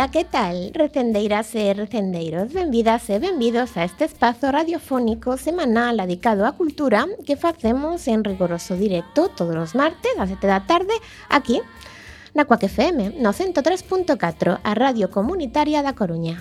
Ola, que tal? Recendeiras e recendeiros, benvidas e benvidos a este espazo radiofónico semanal dedicado á cultura que facemos en rigoroso directo todos os martes a 7 da tarde aquí na Cuac FM, no 103.4, a radio comunitaria da Coruña.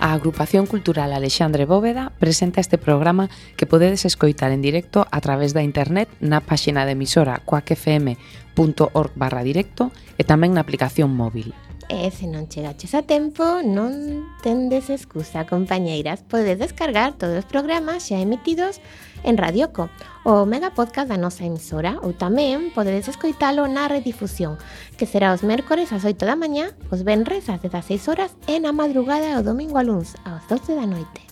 A Agrupación Cultural Alexandre Bóveda presenta este programa que podedes escoitar en directo a través da internet na páxina de emisora cuacfm.org/directo e tamén na aplicación móvil. E se non chegaches a tempo, non tendes excusa, compañeiras. Podedes descargar todos os programas xa emitidos en Radioco, o mega podcast da nosa emisora, ou tamén podedes escoitalo na redifusión, que será os mércores ás 8 da mañá, os venres ás 16 horas e na madrugada o domingo a luns ás 12 da noite.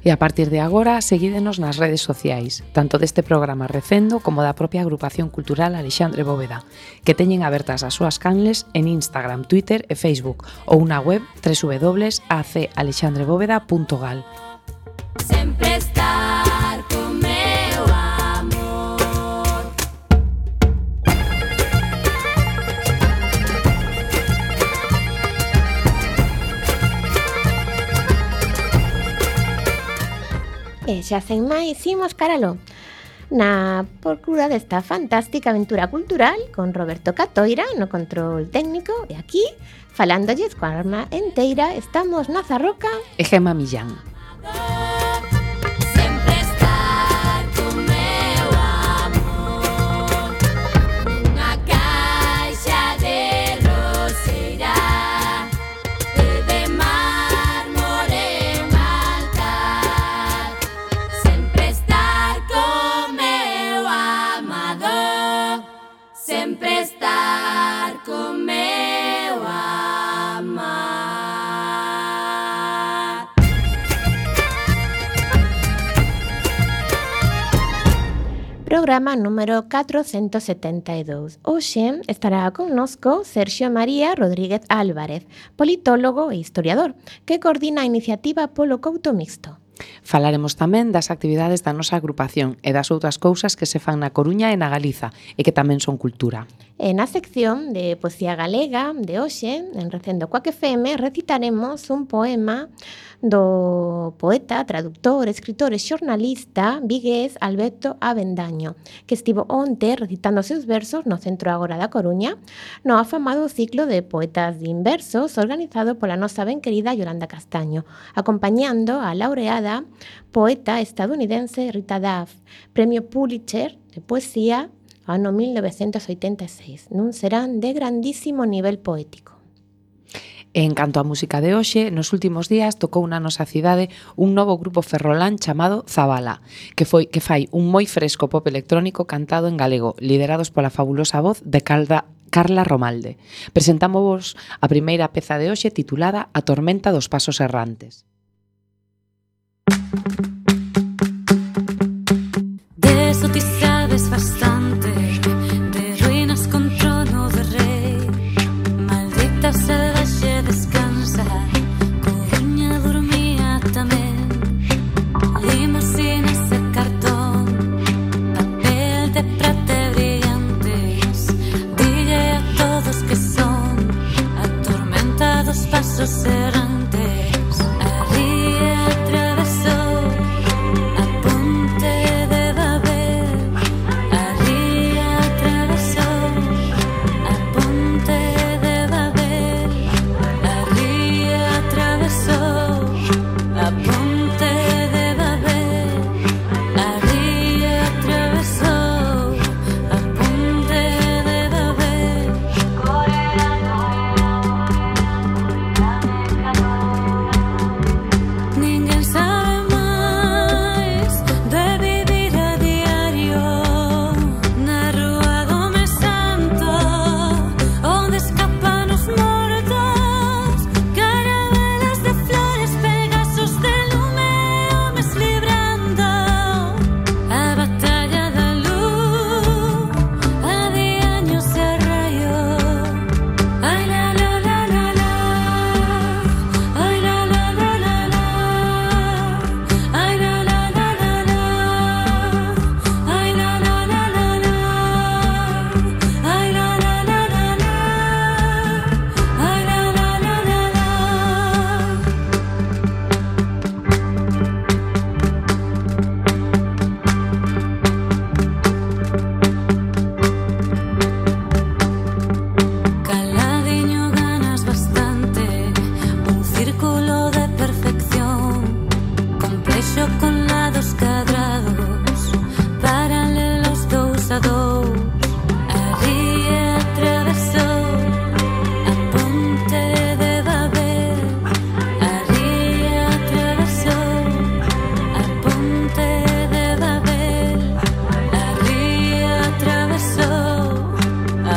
E a partir de agora, seguídenos nas redes sociais, tanto deste programa Recendo como da propia Agrupación Cultural Alexandre Bóveda, que teñen abertas as súas canles en Instagram, Twitter e Facebook, ou na web www.acalexandrebóveda.gal. Sempre estar con meu amor. E xa sen máis, imos caralo na procura desta fantástica aventura cultural con Roberto Catoira no control técnico e aquí, falándolles coa arma enteira, estamos na Zarroca E Gema Millán. Sempre estar con meu amor. Unha caixa de roseira de mármore un altar. Sempre estar con meu amado. Sempre estar con meu amar. Programa número 472. Hoxe estará connosco Sergio María Rodríguez Álvarez, politólogo e historiador, que coordina a iniciativa Polo Couto Mixto. Falaremos tamén das actividades da nosa agrupación e das outras cousas que se fan na Coruña e na Galiza e que tamén son cultura. E na sección de poesía galega de hoxe, en Recendo Cuac FM, recitaremos un poema do poeta, traductor, escritor e xornalista vigués Alberto Avendaño, que estivo onte recitando os seus versos no Centro Agora da Coruña, no afamado ciclo de poetas de inversos organizado pola nosa ben querida Yolanda Castaño, acompañando a laureada poeta estadounidense Rita Duff, premio Pulitzer de poesía ano 1986, nun serán de grandísimo nivel poético. En canto á música de hoxe, nos últimos días tocou na nosa cidade un novo grupo ferrolán chamado Zabala, que fai un moi fresco pop electrónico cantado en galego, liderados pola fabulosa voz de Carla Romalde. Presentámosvos a primeira peza de hoxe titulada A tormenta dos pasos errantes. De eso ti sabes bastante, de ruinas con trono de rey, maldita salvaxe descansa, Coruña dormía tamén, limusinas de cartón, papel de prata brillantes, dille a todos que son a tormenta dos pasos errantes, a ría atravesou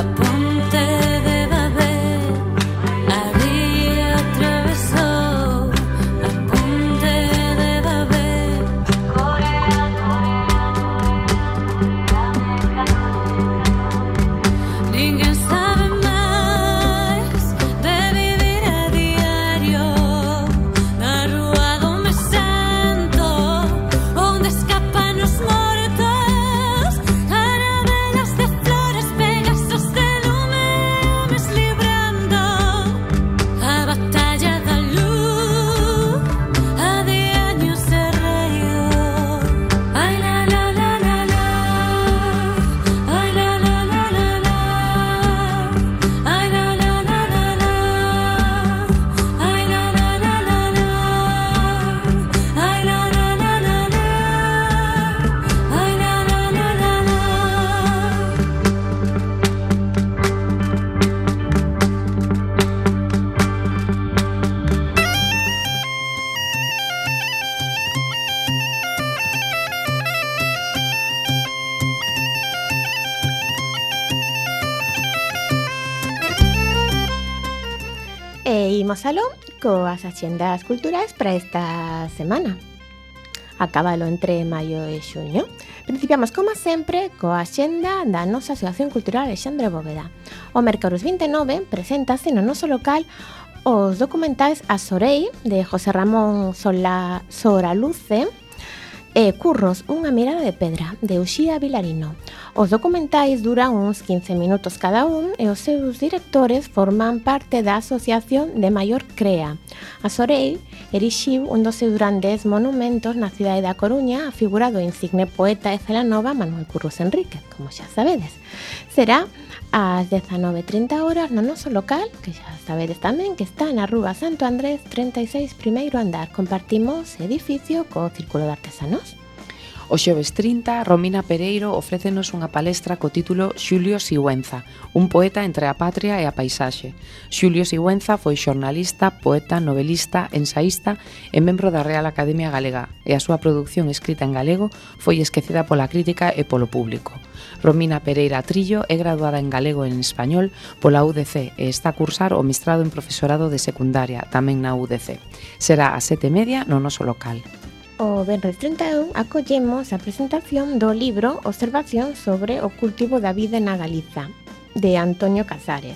a ponte de Babel, había atravesou a ponte de Babel. Ninguén sabe máis de vivir a diario na rúa do me santo, onde escapan os mortos, carabelas de flores, pegasos de lume, homes librando a batalla da luz, a de años de reio. Ai la la la la la, ai la la la la la, ai la la la la la, ai la la la la la, ai la la la la la, ai la la la la la. E imos aló coas axendas culturais para esta semana. Acábalo entre maio e xuño. Principiamos, como sempre, coa axenda da nosa Asociación Cultural Alexandre Bóveda. O mércores 29 preséntase no noso local os documentais A Sorei, de José Ramón Soraluce, e Curros, unha mirada de pedra, de Uxía Vilarino. Os documentais duran uns 15 minutos cada un e os seus directores forman parte da asociación de maior crea. A Sorei erixiu un dos seus grandes monumentos na cidade da Coruña, a figura do insigne poeta e celanova Manuel Curros Enríquez, como xa sabedes. Será ás 19:30 horas no noso local, que xa sabedes tamén que está na Rúa Santo Andrés 36, primeiro andar. Compartimos edificio co Círculo de Artesanos. O xoves 30, Romina Pereiro ofrécenos unha palestra co título Xulio Sigüenza, un poeta entre a patria e a paisaxe. Xulio Sigüenza foi xornalista, poeta, novelista, ensaísta e membro da Real Academia Galega, e a súa produción escrita en galego foi esquecida pola crítica e polo público. Romina Pereira Trillo é graduada en galego e en español pola UDC e está a cursar o mestrado en profesorado de secundaria, tamén na UDC. Será ás 7:30 no noso local. O venres 31 acollemos a presentación do libro Observación sobre o cultivo da vida na Galiza, de Antonio Casares.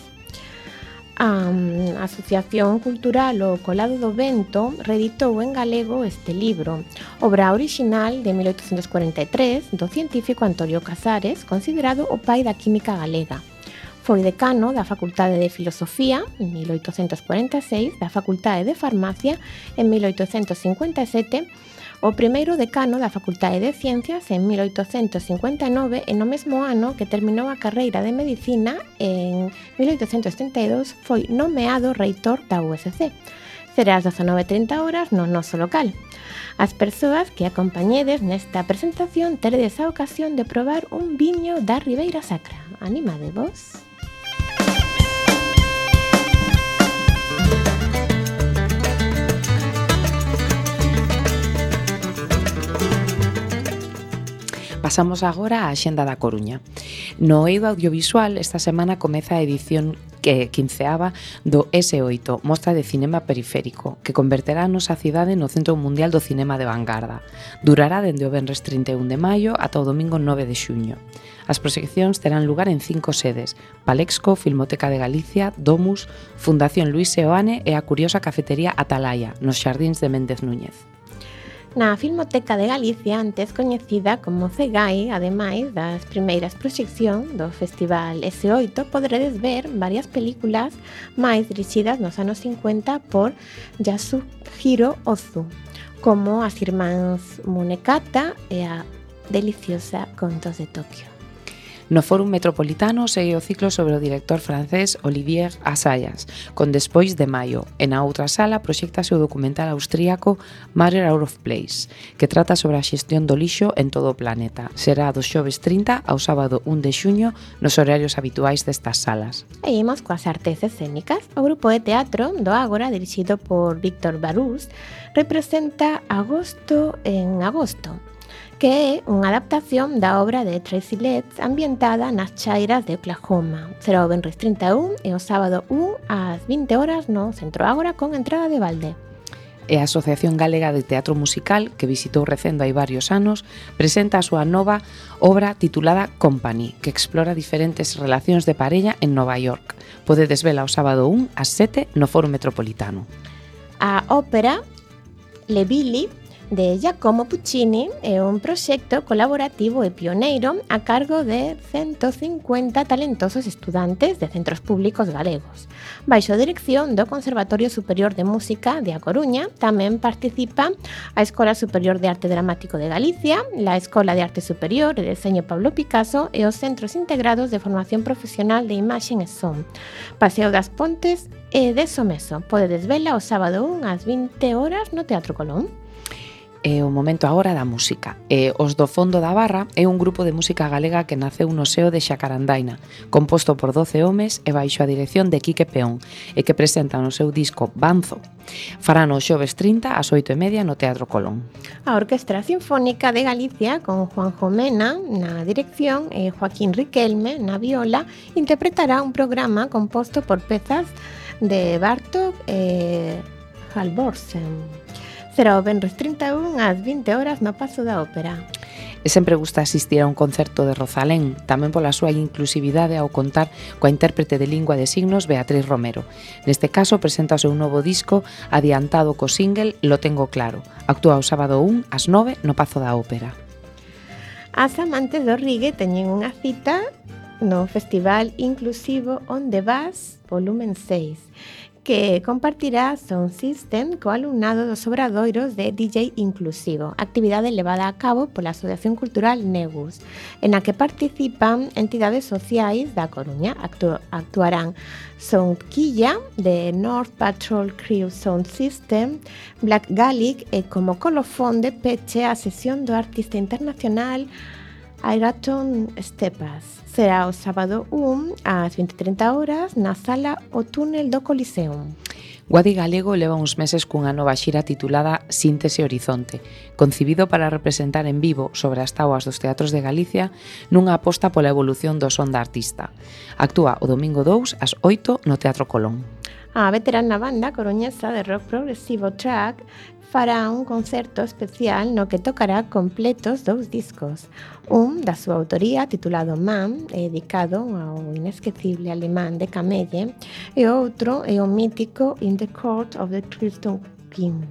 A Asociación Cultural O Colado do Vento reeditou en galego este libro, obra original de 1843 do científico Antonio Casares, considerado o pai da química galega. Foi decano da Facultade de Filosofía en 1846, da Facultade de Farmacia en 1857, o primeiro decano da Facultade de Ciencias en 1859 e no mesmo ano que terminou a carreira de Medicina en 1832 foi nomeado reitor da USC. Será ás 19:30 horas no noso local. As persoas que acompañedes nesta presentación teredes a ocasión de probar un viño da Ribeira Sacra. Animadevos. Pasamos agora á Axenda da Coruña. No eido audiovisual, esta semana comeza a edición que 15ª do S8, Mostra de Cinema Periférico, que converterá a nosa cidade no Centro Mundial do Cinema de Vanguarda. Durará dende o venres 31 de maio ata o domingo 9 de xuño. As proxeccións terán lugar en 5 sedes: Palexco, Filmoteca de Galicia, Domus, Fundación Luis Seoane e a curiosa cafetería Atalaya, nos xardíns de Méndez Núñez. Na Filmoteca de Galicia, antes coñecida como CEGAI, ademais das primeiras proxeccións do Festival S8, poderedes ver varias películas máis dirixidas nos anos 50 por Yasuhiro Ozu, como As irmáns Munekata e a deliciosa Contos de Tokio. No Fórum Metropolitano segue o ciclo sobre o director francés Olivier Assayas, con Despois de Maio, e na outra sala proxectase o documental austríaco Matter Out of Place, que trata sobre a xestión do lixo en todo o planeta. Será do xoves 30 ao sábado 1 de xuño nos horarios habituais destas salas. E imos coas artes escénicas. O grupo de teatro do Ágora, dirixido por Víctor Barús, representa Agosto en Agosto. que é unha adaptación da obra de Tracy Letts ambientada nas chairas de Oklahoma. Será o venres 31 e o sábado 1 ás 20 horas no Centro Ágora con entrada de balde. E a Asociación Galega de Teatro Musical, que visitou Recendo hai varios anos, presenta a súa nova obra titulada Company, que explora diferentes relacións de parella en Nova York. Podedes vela o sábado 1 ás 7 no Foro Metropolitano. A ópera Le Billy de Giacomo Puccini é un proxecto colaborativo e pioneiro a cargo de 150 talentosos estudantes de centros públicos galegos. Baixo a dirección do Conservatorio Superior de Música de A Coruña, tamén participa a Escola Superior de Arte Dramático de Galicia, la Escola de Arte Superior e Deseño Pablo Picasso e os Centros Integrados de Formación Profesional de Imaxen e Son, Paseo das Pontes e de Someso. Podedes vela o sábado 1 ás 20 horas no Teatro Colón. É o momento agora da música. Os do Fondo da Barra é un grupo de música galega que naceu no seo de Xacarandaina, composto por 12 homes e baixo a dirección de Quique Peón, e que presentan o seu disco Banzo. Farán o xoves 30 ás 8:30 no Teatro Colón. A Orquestra Sinfónica de Galicia, con Juanjo Mena na dirección e Joaquín Riquelme na viola, interpretará un programa composto por pezas de Bartók e Halvorsen. Será o venres 31 ás 20 horas no Pazo da Ópera. E sempre gusta asistir a un concerto de Rosalén, tamén pola súa inclusividade ao contar coa intérprete de lingua de signos Beatriz Romero. Neste caso presenta o seu novo disco adiantado co single Lo Tengo Claro. Actúa o sábado 1 ás 9 no Pazo da Ópera. As amantes do reggae teñen unha cita no Festival Inclusivo Onde Vas, volumen 6, que compartirá Sound System co alumnado dos obradoiros de DJ Inclusivo, actividade levada a cabo pola Asociación Cultural Negus, en a que participan entidades sociais da Coruña. Actuarán Soundquilla de North Patrol Crew Sound System, Black Gaelic e como colofón de peche a sesión do artista internacional Airaton Stepas. Será o sábado 1 ás 20:30 horas na sala O Túnel do Coliseum. Guadi Galego leva uns meses cunha nova xira titulada Síntese Horizonte, concibido para representar en vivo sobre as tauas dos teatros de Galicia nunha aposta pola evolución do son da artista. Actúa o domingo 2 ás 8 no Teatro Colón. A veterana banda coruñesa de rock progresivo Track fará un concerto especial no que tocará completos 2 discos. Un da súa autoría titulado Man, dedicado ao inesquecible alemán de Camelle, e outro é o mítico In the Court of the Crimson King,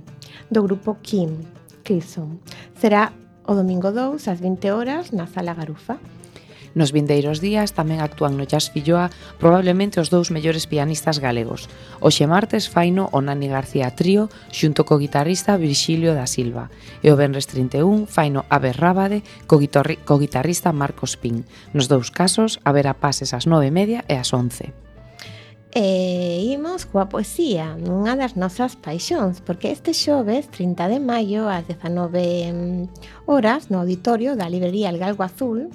do grupo Kim Crimson. Será o domingo 2 ás 20 horas na Sala Garufa. Nos vindeiros días tamén actúan no Jazz Filloa probablemente os 2 mellores pianistas galegos. Hoxe martes faino o Nani García Trío xunto co guitarrista Virxilio da Silva e o venres 31 faino Abe Rábade co guitarrista Marcos Pin. Nos 2 casos haberá pases ás 9:30 e ás 11. E imos coa poesía, nunha das nosas paixóns, porque este xoves 30 de maio ás 19 horas no auditorio da librería El Galgo Azul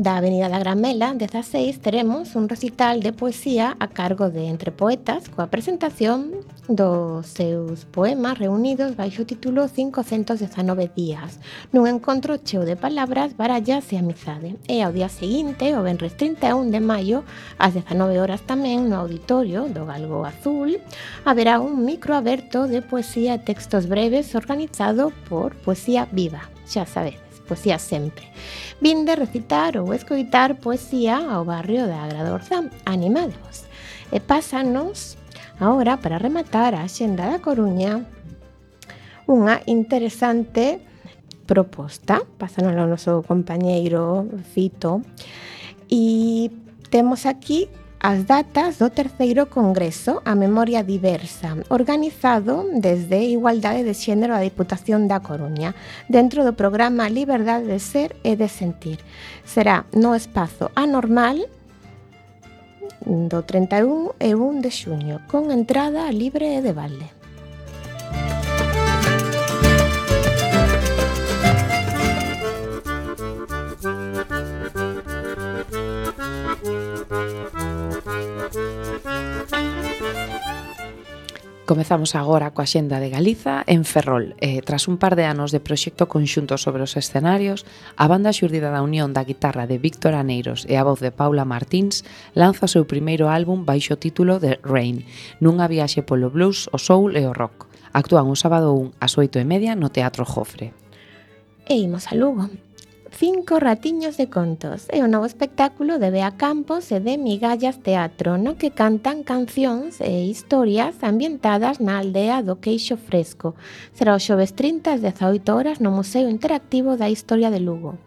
da Avenida da Gramela 16 teremos un recital de poesía a cargo de Entre Poetas coa presentación dos seus poemas reunidos baixo o título 519 días nun encontro cheo de palabras, barallas e amizade. E ao día seguinte, o venres 31 de maio ás 19 horas tamén no auditorio do Galgo Azul haberá un micro aberto de poesía e textos breves organizado por Poesía Viva, xa sabedes, poesía sempre. Vinde recitar ou escoitar poesía ao barrio da Agradorza. Animadevos. E pásanos agora para rematar a Axenda da Coruña unha interesante proposta. Pásanos ao noso compañeiro Fito. E temos aquí as datas do terceiro Congreso A Memoria Diversa, organizado desde Igualdade de Xénero da Diputación da Coruña, dentro do programa Liberdade de Ser e de Sentir. Será no espazo Anormal do 31 e 1 de xuño, con entrada libre e de balde. Comezamos agora coa xenda de Galiza en Ferrol. Tras un par de anos de proxecto conxunto sobre os escenarios, a banda xurdida da unión da guitarra de Víctor Aneiros e a voz de Paula Martins lanza o seu primeiro álbum baixo o título de Rain, nunha viaxe polo blues, o soul e o rock. Actúan o sábado 1 ás 8:30 no Teatro Jofre. E imos a Lugo. 5 ratiños de contos é o novo espectáculo de Bea Campos e de Migallas Teatro, no que cantan cancións e historias ambientadas na aldea do Queixo Fresco. Será o xoves 30 ás 18 horas no Museo Interactivo da Historia de Lugo.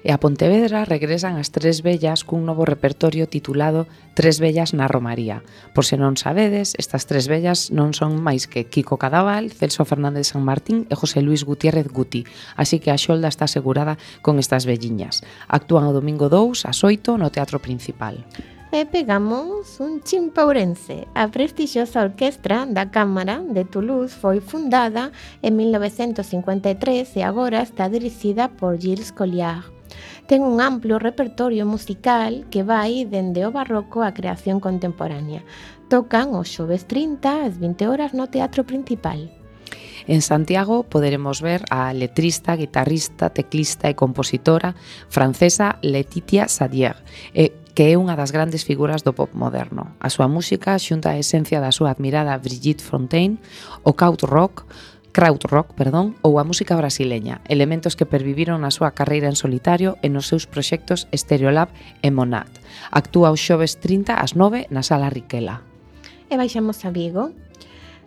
E a Pontevedra regresan as Tres Vellas cun novo repertorio titulado Tres Vellas na Romaría. Por se non sabedes, estas Tres Vellas non son máis que Kiko Cadaval, Celso Fernández San Martín e José Luis Gutiérrez Guti, así que a xolda está asegurada con estas velliñas. Actúan o domingo 2 ás 8 no Teatro Principal. E pegamos un chimpaurense. A prestixiosa orquestra da Cámara de Toulouse foi fundada en 1953 e agora está dirixida por Gilles Colliard. Ten un amplio repertorio musical que vai dende o barroco á creación contemporánea. Tocan os xoves 30 ás 20 horas no Teatro Principal. En Santiago poderemos ver a letrista, guitarrista, teclista e compositora francesa Laetitia Sadier, que é unha das grandes figuras do pop moderno. A súa música xunta a esencia da súa admirada Brigitte Fontaine, o krautrock, ou a música brasileña, elementos que perviviron na súa carreira en solitario e nos seus proxectos Stereolab e Monad. Actúa os xoves 30 ás 9 na Sala Riquela. E baixamos a Vigo.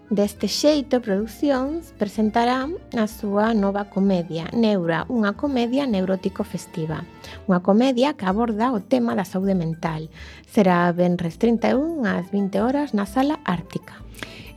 Deste xeito, Producións presentará a súa nova comedia, Neura, unha comedia neurótico-festiva. Unha comedia que aborda o tema da saúde mental. Será venres 31 ás 20 horas na Sala Ártica.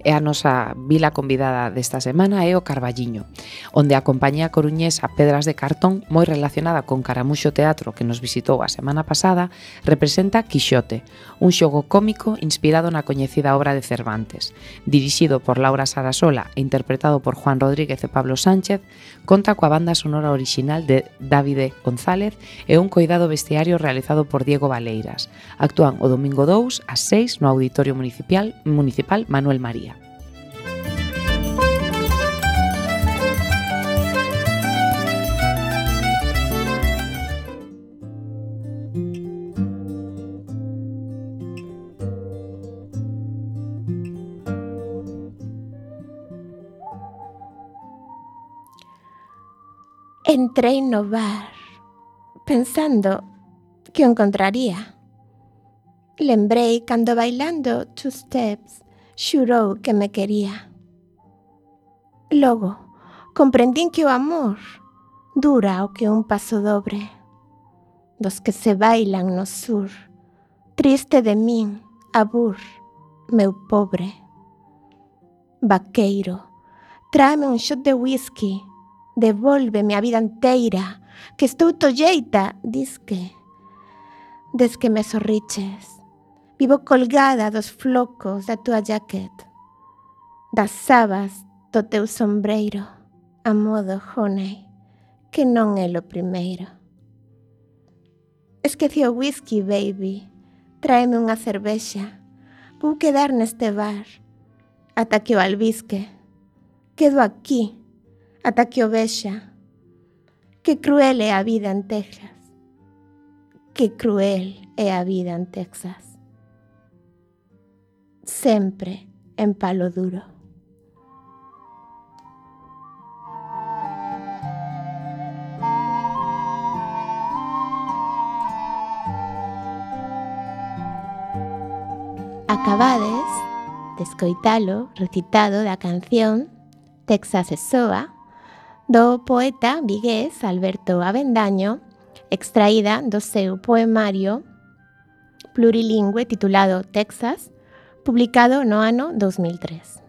E a nosa vila convidada desta semana é o Carballiño, onde a compañía coruñesa Pedras de Cartón, moi relacionada con Caramuxo Teatro que nos visitou a semana pasada, representa Quixote, un xogo cómico inspirado na coñecida obra de Cervantes. Dirixido por Laura Sarasola e interpretado por Juan Rodríguez e Pablo Sánchez, conta coa banda sonora orixinal de Davide González e un coidado vestiario realizado por Diego Valeiras. Actúan o domingo 2 ás 6 no Auditorio Municipal Manuel María. Entrei no bar, pensando que o encontraría. Lembrei cando bailando two steps xurou que me quería. Logo, comprendín que o amor dura o que un paso dobre, dos que se bailan no sur, triste de min, abur, meu pobre. Vaqueiro, tráeme un shot de whisky, devólveme a vida inteira, que estou tolleita, disque. Des que me sorriches, vivo colgada dos flocos da tua jaquet, das sabas do teu sombreiro, a modo honey, que non é lo primeiro. Esqueci o whisky, baby, tráeme unha cervexa, vou quedar neste bar, ata que o albisque, quedo aquí, ata que o vexa. Que cruel é a vida en Texas. Que cruel é a vida en Texas. Sempre en palo duro. Acabades de escoitalo recitado da canción Texas é soa, do poeta vigués Alberto Avendaño, extraída do seu poemario plurilingüe titulado Texas, publicado no ano 2003.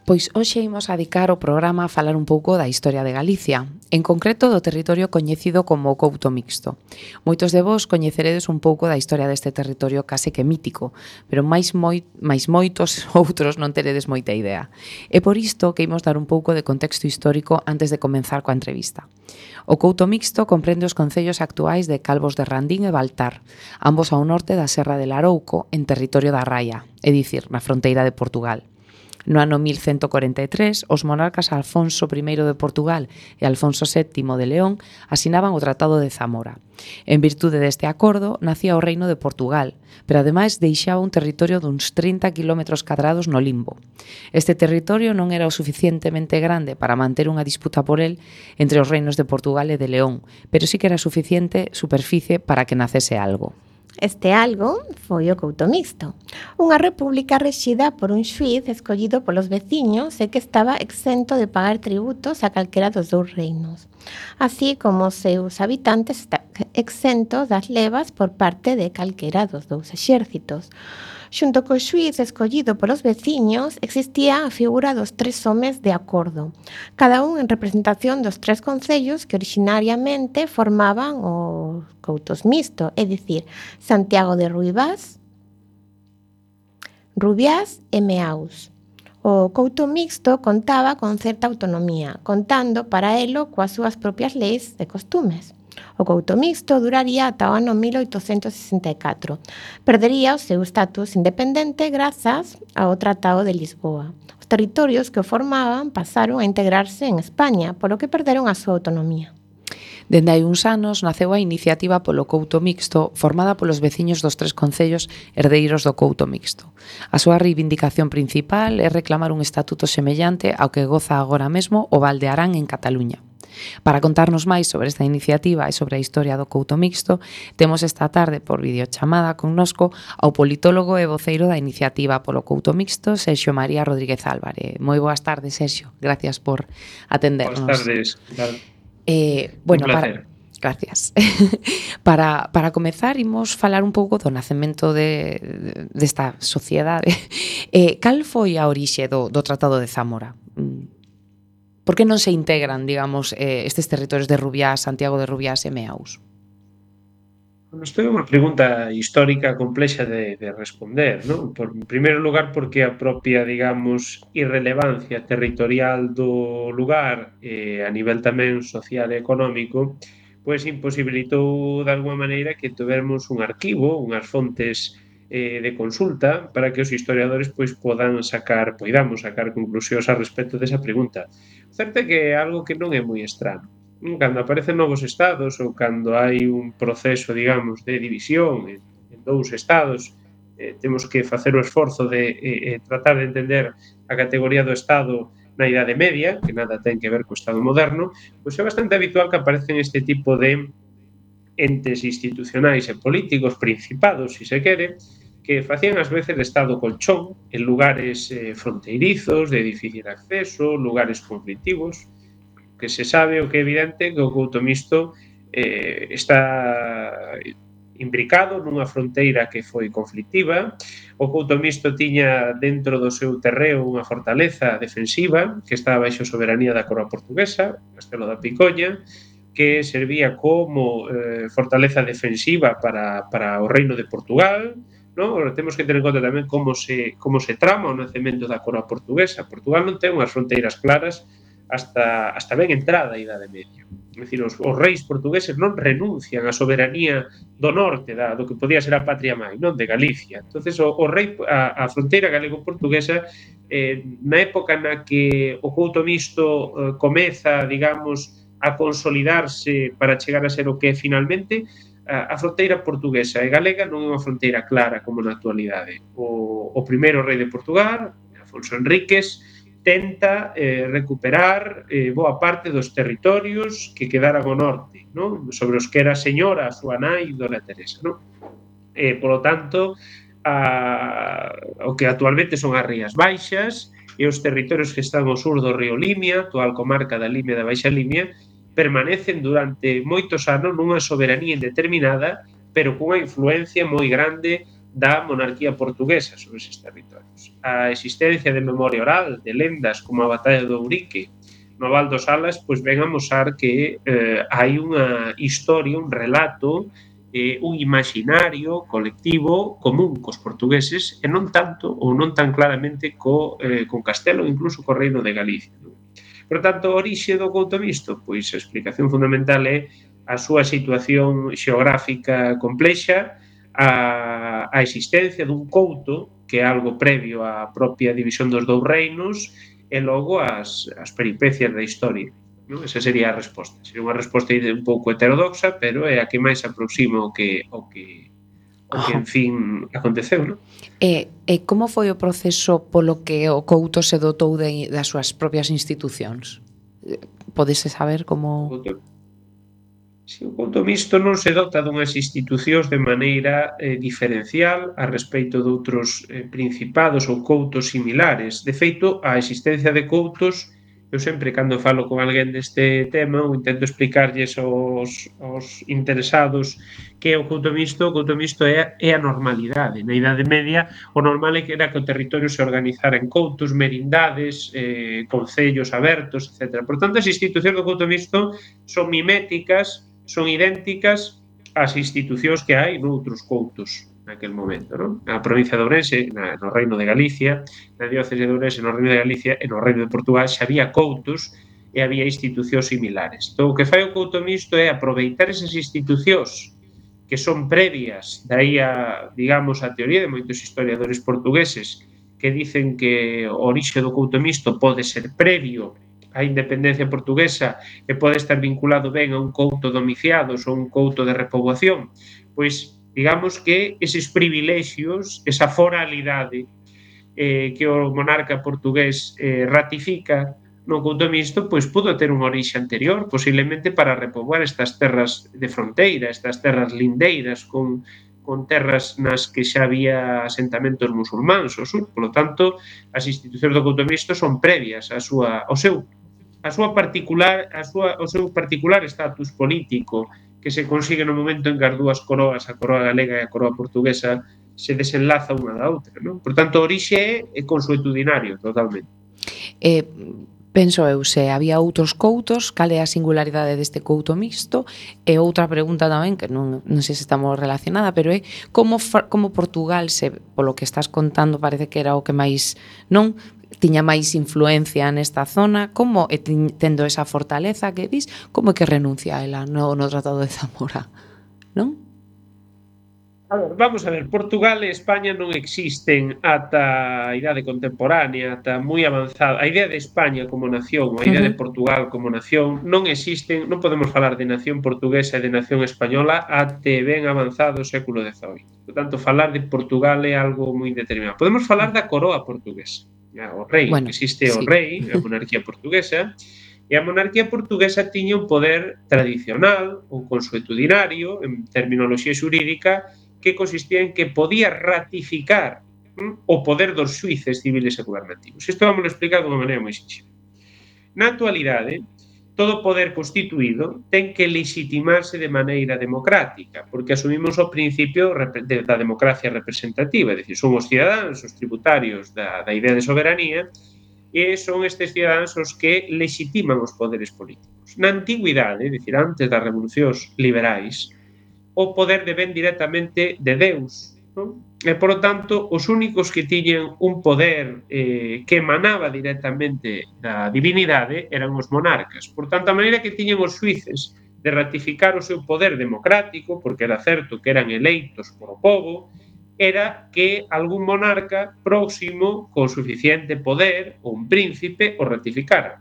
Pois hoxe imos a dedicar o programa a falar un pouco da historia de Galicia, en concreto do territorio coñecido como o Couto Mixto. Moitos de vos coñeceredes un pouco da historia deste territorio case que mítico, pero máis moitos outros non teredes moita idea. É por isto que imos dar un pouco de contexto histórico antes de comenzar coa entrevista. O Couto Mixto comprende os concellos actuais de Calvos de Randín e Baltar, ambos ao norte da Serra de Larouco, en territorio da Raia, é dicir, na fronteira de Portugal. No ano 1143, os monarcas Alfonso I de Portugal e Alfonso VII de León asinaban o Tratado de Zamora. En virtude deste acordo, nacía o Reino de Portugal, pero ademais deixaba un territorio duns 30 km cadrados no limbo. Este territorio non era o suficientemente grande para manter unha disputa por el entre os reinos de Portugal e de León, pero sí que era suficiente superficie para que nacese algo. Este algo foi o Couto Mixto, unha república rexida por un xuíz escollido polos veciños e que estaba exento de pagar tributos a calquera dos dous reinos, así como os seus habitantes exentos das levas por parte de calquera dos dous exércitos. Xunto co xuíz escollido polos veciños, existía a figura dos tres homes de acordo, cada un en representación dos tres concellos que originariamente formaban o Coutos Mixto, é dicir, Santiago de Ruibás, Rubiás e Meaus. O Couto Mixto contaba con certa autonomía, contando para elo coas súas propias leis e costumes. O Couto Mixto duraría ata o ano 1864. Perdería o seu status independente grazas ao Tratado de Lisboa. Os territorios que o formaban pasaron a integrarse en España, polo que perderon a súa autonomía. Dende hai uns anos naceu a iniciativa polo Couto Mixto formada polos veciños dos tres concellos herdeiros do Couto Mixto. A súa reivindicación principal é reclamar un estatuto semellante ao que goza agora mesmo o Val de Arán en Cataluña. Para contarnos máis sobre esta iniciativa e sobre a historia do Couto Mixto, temos esta tarde por videochamada connosco ao politólogo e voceiro da iniciativa polo Couto Mixto, Sergio María Rodríguez Álvarez. Moi boas tardes, Sergio. Gracias por atendernos. Boas tardes. Bueno, un placer. Gracias. Para comezar, imos falar un pouco do nacemento desta sociedade. Cal foi a orixe do Tratado de Zamora? Por que non se integran, digamos, estes territorios de Rubiás, Santiago de Rubiás e Meaus? Isto é unha pregunta histórica complexa de responder, non? En primeiro lugar, porque a propia, digamos, irrelevancia territorial do lugar a nivel tamén social e económico, pois imposibilitou de alguma maneira que tuvermos un arquivo, unhas fontes de consulta para que os historiadores pois podamos sacar conclusións a respecto desa pregunta. O certo é que é algo que non é moi estrano. Cando aparecen novos estados ou cando hai un proceso, digamos, de división en dous estados, temos que facer o esforzo de tratar de entender a categoría do estado na Idade Media, que nada ten que ver co estado moderno, pois é bastante habitual que aparecen este tipo de entes institucionais e políticos, principados, se quere, que facían ás veces de estado colchón en lugares fronteirizos, de difícil acceso, lugares conflictivos, que se sabe o que é evidente que o Couto Mixto está imbricado nunha fronteira que foi conflictiva. O Couto Mixto tiña dentro do seu terreo unha fortaleza defensiva que estaba baixo soberanía da coroa portuguesa, Castelo da Picoña, que servía como fortaleza defensiva para o reino de Portugal. No? Temos que ter en conta tamén como se trama o nacemento da coroa portuguesa. Portugal non ten unhas fronteiras claras hasta ben entrada a Idade Media. É dicir, os reis portugueses non renuncian á soberanía do norte, do que podía ser a patria mãe, non, de Galicia. Entonces, a fronteira galego-portuguesa, na época na que o Couto Mixto comeza, digamos, a consolidarse para chegar a ser o que é finalmente, a fronteira portuguesa e galega non é unha fronteira clara como na actualidade. O primeiro rei de Portugal, Afonso Henriques, tenta recuperar boa parte dos territorios que quedaran ao norte, non? Sobre os que era señora a súa nai, Dona Teresa. Non? Polo tanto, o que actualmente son as Rías Baixas e os territorios que están ao sur do río Limia, actual comarca da Limia e da Baixa Limia, permanecen durante moitos anos nunha soberanía indeterminada, pero cunha influencia moi grande da monarquía portuguesa sobre eses territorios. A existencia de memoria oral, de lendas como a Batalla do Ourique, no Val dos Salas, pois ven a mostrar que hai unha historia, un relato, un imaginario colectivo común cos portugueses e non tanto ou non tan claramente con Castelo, incluso co Reino de Galicia. Non? Por tanto, a orixe do couto mixto, pois a explicación fundamental é a súa situación xeográfica complexa, a existencia dun couto, que é algo previo á propia división dos dous reinos, e logo as peripecias da historia. Non? Esa sería a resposta. Sería unha resposta un pouco heterodoxa, pero é a que máis aproxima o que en fin, aconteceu, non? E como foi o proceso polo que o couto se dotou das súas propias institucións? Podese saber como... Si o couto mixto non se dota dunhas institucións de maneira diferencial a respecto de outros principados ou coutos similares. De feito, a existencia de coutos, eu sempre cando falo con alguén deste tema ou intento explicarlles aos interesados que é o couto mixto é a normalidade. Na Idade Media, o normal era que o territorio se organizara en coutos, merindades, concellos abertos, etc. Por tanto, as institucións do couto mixto son miméticas, son idénticas ás institucións que hai noutros coutos naquel momento, non? Na provincia de Ourense, no Reino de Galicia, na diócese de Ourense, no Reino de Galicia e no Reino de Portugal xa había coutos e había institucións similares. Entón, o que fai o couto mixto é aproveitar esas institucións que son previas, daí a, digamos, a teoría de moitos historiadores portugueses que dicen que o orixe do couto mixto pode ser previo a independencia portuguesa e pode estar vinculado ben a un couto domiciados ou un couto de repoboación, pois digamos que eses privilexios, esa foralidade que o monarca portugués ratifica no couto mixto, pois pudo ter un orixe anterior, posiblemente para repoboar estas terras de fronteira, estas terras lindeiras con terras nas que xa había asentamentos musulmáns ao sur. Por lo tanto, as institucións do couto mixto son previas ao seu particular estatus político que se consigue no momento en que as dúas coroas, a coroa galega e a coroa portuguesa, se desenlaza unha da outra, non? Por tanto, o orixe é consuetudinario, totalmente. Penso eu, se había outros coutos, cal é a singularidade deste couto mixto? E outra pregunta tamén, que non sei se estamos relacionada, pero é como Portugal, polo que estás contando, parece que era o que máis, non? Tiña máis influencia nesta zona, como tendo esa fortaleza que dis, como é que renuncia a ela no Tratado de Zamora, non? Vamos a ver, Portugal e España non existen ata a idade contemporánea, ata moi avanzada. A idea de España como nación, a idea de Portugal como nación, non existen, non podemos falar de nación portuguesa e de nación española até ben avanzado o século XVIII. Por tanto, falar de Portugal é algo moi determinado. Podemos falar da coroa portuguesa. O rei, bueno, existe o rei, a monarquía portuguesa, e a monarquía portuguesa tiña un poder tradicional, un consuetudinario, en terminoloxía xurídica, que consistía en que podía ratificar o poder dos xuíces civiles e gobernativos. Isto vamos a explicar de unha maneira moi sinxela. Na actualidade, todo poder constituído ten que legitimarse de maneira democrática, porque asumimos o principio da democracia representativa, é dicir, son os cidadáns, os tributarios da idea de soberanía, e son estes cidadáns os que legitiman os poderes políticos. Na antigüidade, é dicir, antes das revolucións liberais, o poder depende directamente de Deus, non? E, por lo tanto, os únicos que tiñan un poder que emanaba directamente da divinidade eran os monarcas. Por tanto, a maneira que tiñan os xuíces de ratificar o seu poder democrático, porque era certo que eran eleitos por o povo, era que algún monarca próximo, con suficiente poder, ou un príncipe, o ratificara.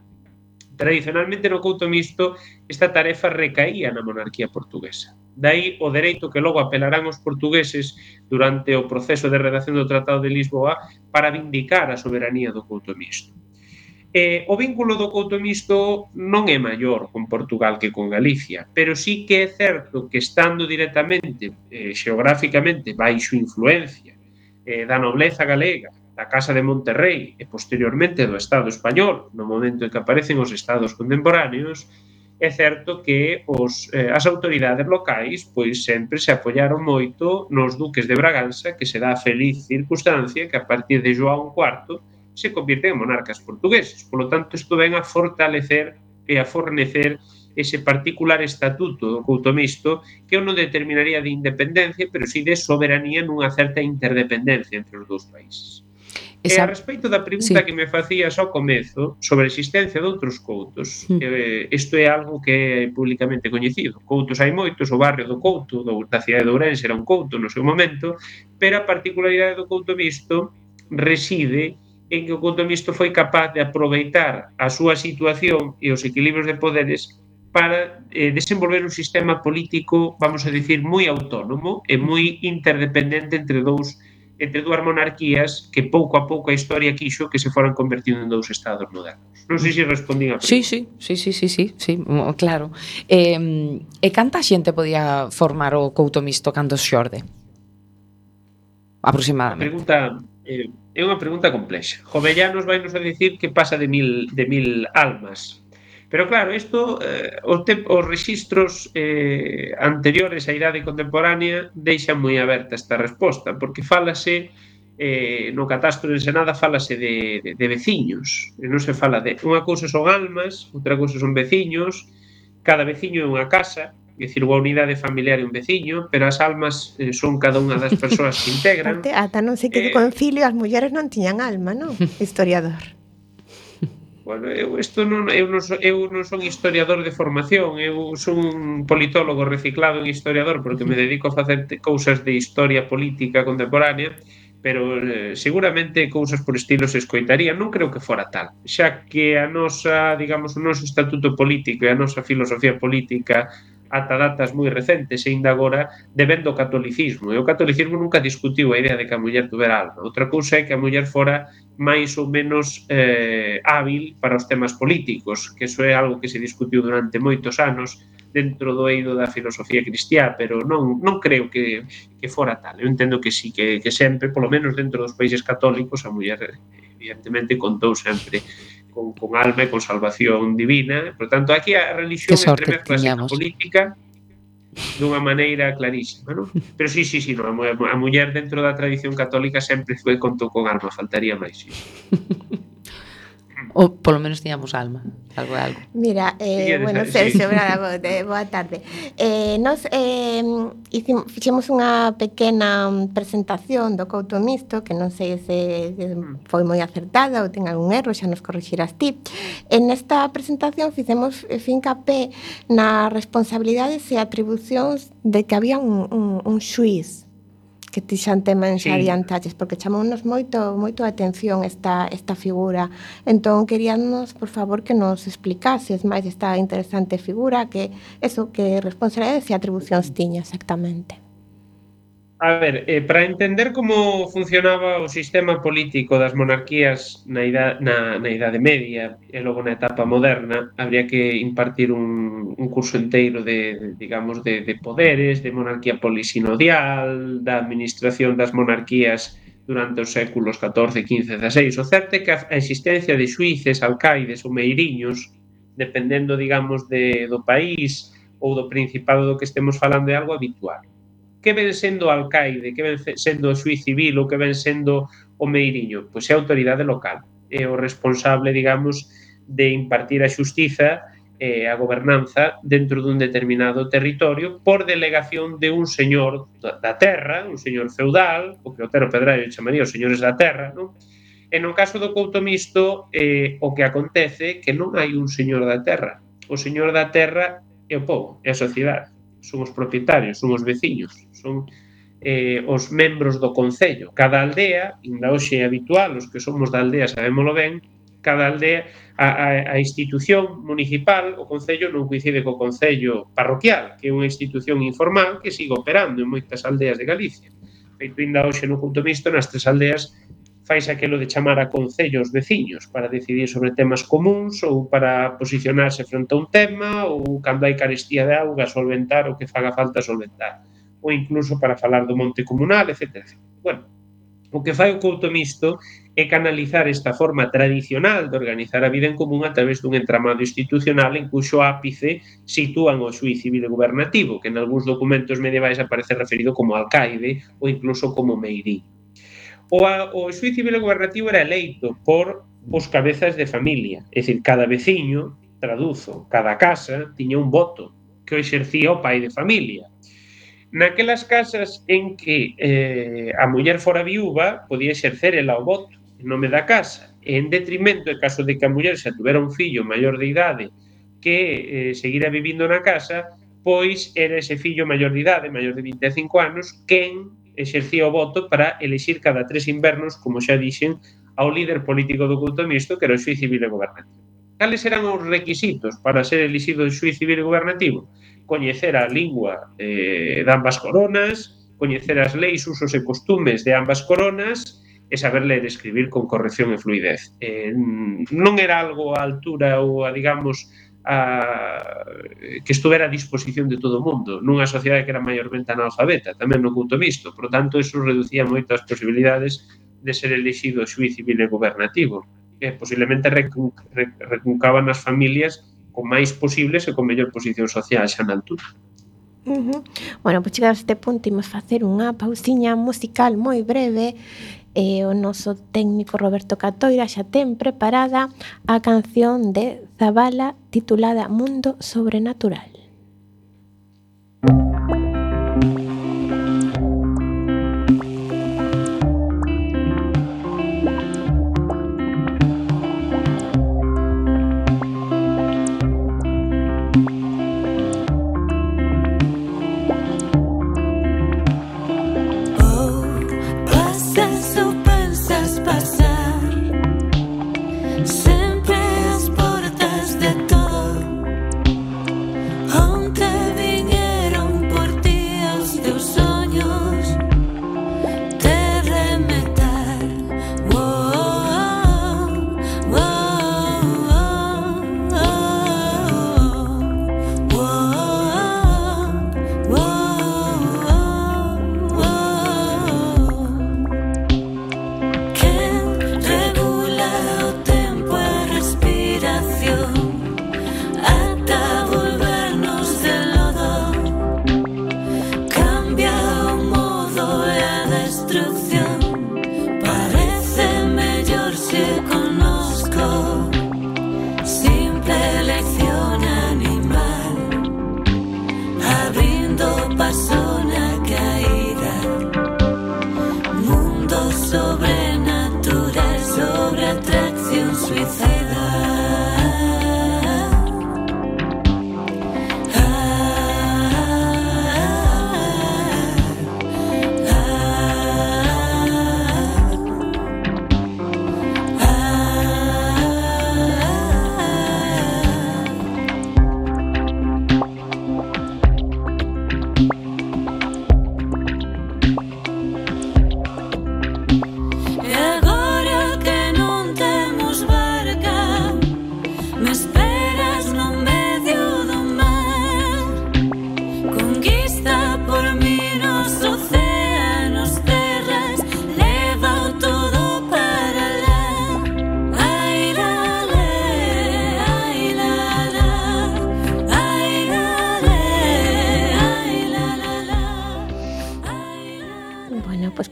Tradicionalmente, no couto mixto, esta tarefa recaía na monarquía portuguesa. Daí o dereito que logo apelarán os portugueses durante o proceso de redacción do Tratado de Lisboa para vindicar a soberanía do couto mixto. O vínculo do couto mixto non é maior con Portugal que con Galicia, pero sí que é certo que estando directamente, xeográficamente, baixo influencia da nobleza galega, da Casa de Monterrey e posteriormente do Estado español, no momento en que aparecen os estados contemporáneos, é certo que as autoridades locais pois sempre se apoiaron moito nos duques de Braganza, que se dá a feliz circunstancia que a partir de João IV se convirten en monarcas portugueses. Por lo tanto, isto ven a fortalecer e a fornecer ese particular estatuto do Coutomisto que eu non determinaría de independencia, pero sí de soberanía nunha certa interdependencia entre os dous países. E a respecto da pregunta que me facías ao comezo sobre a existencia de outros coutos, isto é algo que é publicamente coñecido. Coutos hai moitos, o barrio do Couto, da cidade de Ourense era un couto no seu momento, pero a particularidade do Coutomisto reside en que o Coutomisto foi capaz de aproveitar a súa situación e os equilibrios de poderes para desenvolver un sistema político, vamos a decir, moi autónomo e moi interdependente entre dúas monarquías que pouco a pouco a historia quixo que se foran convertindo en dous estados modernos. Non sei se respondín a pregunta. Sí, claro. E canta xente podía formar o Coutomisto cando xorde? Aproximadamente. É unha pregunta complexa. Jovellanos vai nos a dicir que pasa de mil almas. Pero claro, isto, os rexistros anteriores á idade contemporánea deixan moi aberta esta resposta, porque fálase, no catastro de Ensenada fálase de veciños, non se fala de... Unha cousa son almas, outra cousa son veciños, cada veciño é unha casa, é dicir, unha unidade familiar e un veciño, pero as almas son cada unha das persoas que integran. Ata non sei que de concilio as mulleres non tiñan alma, non? Historiador. Bueno, eu non son historiador de formación, eu son un politólogo reciclado en historiador porque me dedico a facer cousas de historia política contemporánea, pero seguramente cousas por estilo se escoitarían, non creo que fora tal, xa que a nosa, digamos, o noso estatuto político e a nosa filosofía política ata datas moi recentes e ainda agora deben do catolicismo. E o catolicismo nunca discutiu a idea de que a muller tuvera alma. Outra cousa é que a muller fora máis ou menos hábil para os temas políticos, que iso é algo que se discutiu durante moitos anos dentro do eido da filosofía cristiá, pero non creo que fora tal. Eu entendo que sí, que sempre, polo menos dentro dos países católicos, a muller evidentemente contou sempre con alma e con salvación divina. Por tanto, aquí a religión entremezcla a política dunha maneira clarísima, non? Pero sí, non, a muller dentro da tradición católica sempre foi contou con alma, faltaría máis, sí. Ou polo menos tiñamos alma, algo. Mira, bueno, Sergio, boa tarde. Nos fixemos unha pequena presentación do Coutomisto, que non sei se foi moi acertada ou ten algún erro, xa nos corrixirás ti. En esta presentación fixemos fincapé nas responsabilidades e atribucións de que había un xuíz que ti xa tema en xa adiantaches, porque chamounos moito a atención esta figura. Entón, queríamos, por favor, que nos explicases máis esta interesante figura, que responsabilidades e atribucións tiña exactamente. A ver, para entender como funcionaba o sistema político das monarquías na Idade Media e logo na etapa moderna, habría que impartir un curso enteiro de poderes, de monarquía polisinodial, da administración das monarquías durante os séculos XIV, XV, XVI. O certo é que a existencia de xuíces, alcaides ou meiriños, dependendo, digamos, do país ou do principado do que estemos falando, é algo habitual. Que ven sendo o alcaide, que ven sendo o xuíz civil ou que ven sendo o meiriño? Pois é a autoridade local, é o responsable, digamos, de impartir a xustiza e a gobernanza dentro dun determinado territorio por delegación de un señor da terra, un señor feudal, o que Otero Pedraio chamaría os señores da terra, non? E no caso do Coutomisto, o que acontece é que non hai un señor da terra. O señor da terra é o povo, é a sociedade. Son os propietarios, son os veciños, son os membros do concello. Cada aldea, ainda hoxe é habitual, os que somos da aldea sabémolo ben, cada aldea, a institución municipal, o concello non coincide co concello parroquial, que é unha institución informal que sigue operando en moitas aldeas de Galicia. Feito ainda hoxe no Coutomisto, nas 3 aldeas faise aquelo de chamar a concellos veciños para decidir sobre temas comuns ou para posicionarse frente a un tema ou cando hai carestía de auga solventar o que faga falta solventar ou incluso para falar do monte comunal, etc. Bueno, o que fai o Coutomisto e canalizar esta forma tradicional de organizar a vida en común a través dun entramado institucional en cuxo ápice sitúan o xuíz civil e gubernativo, que en algúns documentos medievais aparece referido como alcaide ou incluso como meirí. O xuíz civil e gubernativo era eleito por os cabezas de familia, é dicir, cada veciño, traduzo, cada casa tiña un voto que o exercía o pai de familia. Naquelas casas en que a muller fora viúva, podía exercer ela o voto en nome da casa, e en detrimento, en caso de que a muller xa tuvera un fillo maior de idade que seguira vivindo na casa, pois era ese fillo maior de idade, maior de 25 anos, quen exercía o voto para elexir cada 3 invernos, como xa dixen, ao líder político do culto mixto, que era o xuíz civil e gubernativo. Cales eran os requisitos para ser elixido o xuíz civil e gubernativo? Coñecer a lingua de ambas coronas, coñecer as leis, usos e costumes de ambas coronas e saber ler e escribir con corrección e fluidez. Non era algo á altura ou a, digamos, que estuvera a disposición de todo o mundo, nunha sociedade que era maiormente analfabeta, tamén no culto mixto. Por tanto, eso reducía moito as posibilidades de ser elixido xuíz civil e gubernativo, que posiblemente recuncaban as familias con máis posibles e con mellor posición social xa na altura. Bueno, pois chegados a este punto imos facer unha pausiña musical moi breve e o noso técnico Roberto Catoira xa ten preparada a canción de Zabala titulada Mundo Sobrenatural.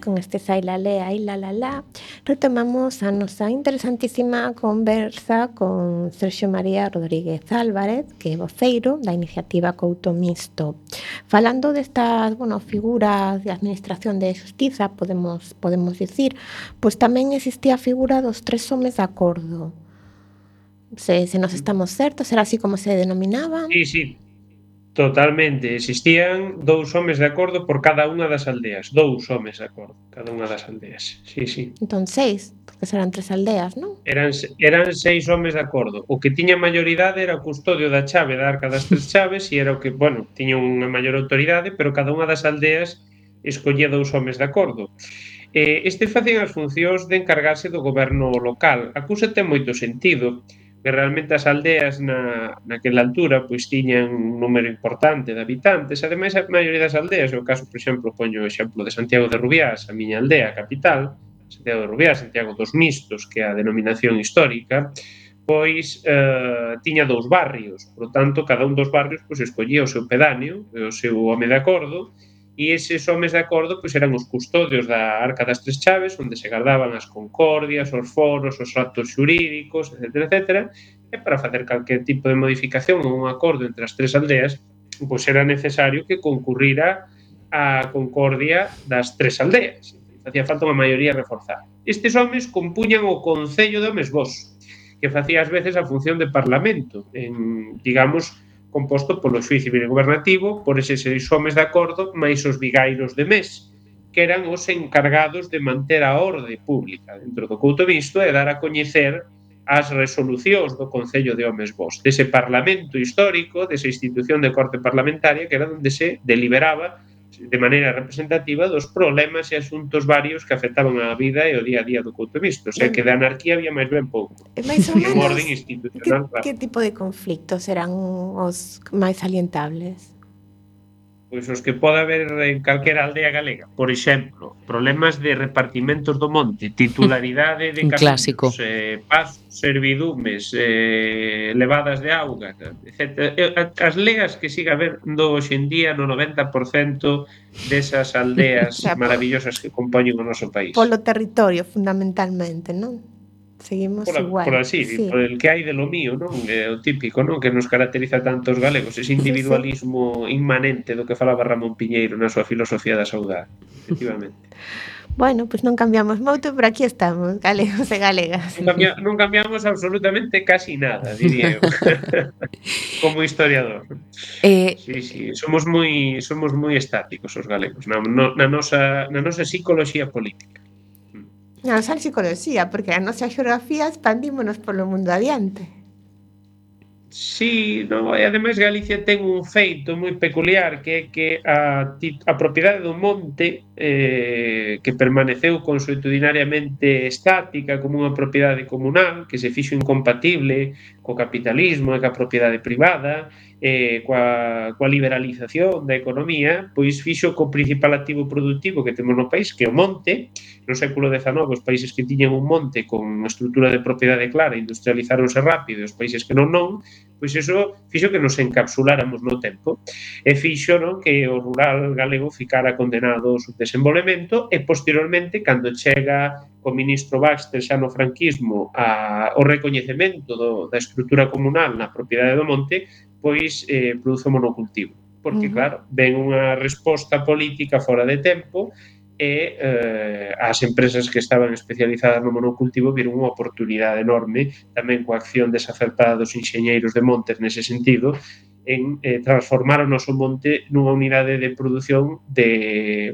Con este Sailalé, ai la la la, retomamos a nosa interesantísima conversa con Sergio María Rodríguez Álvarez, que é voceiro da iniciativa Couto Mixto. Falando destas, figuras de administración de xustiza, podemos dicir, pois tamén existía a figura dos 3 homes de acordo. Se nos estamos certos, era así como se denominaban? Sí. Totalmente, existían 2 homes de acordo por cada unha das aldeas, 2 homes de acordo, cada unha das aldeas, sí. Entón 6, porque serán 3 aldeas, non? Eran 6 homes de acordo, o que tiña maioridade era o custodio da chave da arca das 3 chaves e era o que, tiña unha maior autoridade, pero cada unha das aldeas escollía 2 homes de acordo. Este facían as funcións de encargarse do goberno local. A cousa ten moito sentido, que realmente as aldeas naquela altura pois tiñan un número importante de habitantes. Ademais, a maioría das aldeas, o caso, por exemplo, poño o exemplo de Santiago de Rubiás, a miña aldea, a capital, Santiago de Rubiá, Santiago dos Mistos, que é a denominación histórica, pois tiña 2 barrios, por tanto, cada un dos barrios pois escollía o seu pedáneo, o seu home de acordo, e eses homes de acordo pois eran os custodios da Arca das Tres Chaves, onde se guardaban as concordias, os foros, os actos xurídicos, etc. E para facer calquer tipo de modificación ou un acordo entre as tres aldeas, pois era necesario que concurrira a concordia das tres aldeas. Facía falta unha maioría reforzada. Estes homes compuñan o Concello de Homes Bos, que facía ás veces a función de parlamento, digamos, composto polo xuíz civil e gobernativo, por eses 6 homes de acordo, máis os vigairos de mes, que eran os encargados de manter a orde pública dentro do couto mixto e dar a coñecer as resolucións do Concello de Homes Bos, dese parlamento histórico, desa institución de corte parlamentaria, que era onde se deliberaba de maneira representativa dos problemas e asuntos varios que afectaban a vida e o día a día do couto mixto. O sea, que de anarquía había máis ben pouco. E máis ou E un menos, orden institucional, claro. que tipo de conflictos eran os máis salientables? Pois os que pode haber en calquera aldea galega. Por exemplo, problemas de repartimentos do monte, titularidade de Un clásico. casinos, pasos, servidumes, levadas de auga, etc. As leas que siga habendo hoxe en día no 90% desas aldeas O sea, maravillosas que compoñen o noso país. Polo territorio, fundamentalmente, non? Seguimos igual. Por así, sí. por el que hai de lo mío, non? É o típico, non? Que nos caracteriza tanto os galegos, ese individualismo inmanente do que falaba Ramón Piñeiro na súa filosofía da saudade, efectivamente. Bueno, pois non cambiamos moito, pero aquí estamos, galegos e galegas. Non cambiamos absolutamente casi nada, diría eu, como historiador. Sí, somos moi estáticos os galegos na nosa psicoloxía política. Non só psicoloxía, porque a nosa xeografía expandímonos polo mundo adiante. Sí, no, e ademais Galicia ten un feito moi peculiar, que é que a propiedade do monte que permaneceu consuetudinariamente estática como unha propiedade comunal, que se fixo incompatible co capitalismo e ca propiedade privada, coa liberalización da economía, pois fixo co principal activo productivo que temos no país, que é o monte. No século XIX, os países que tiñan un monte con estrutura de propiedade clara industrializáronse rápido, e os países que non, pois iso fixo que nos encapsuláramos no tempo e fixo, non, que o rural galego ficara condenado ao subdesenvolvemento e posteriormente, cando chega o ministro Baxter xa no franquismo o recoñecemento da estrutura comunal na propiedade do monte, pois produce o monocultivo. Porque, claro, ven unha resposta política fora de tempo e as empresas que estaban especializadas no monocultivo viron unha oportunidade enorme, tamén coa acción desacertada dos enxeñeiros de montes nese sentido, en transformar o noso monte nunha unidade de produción de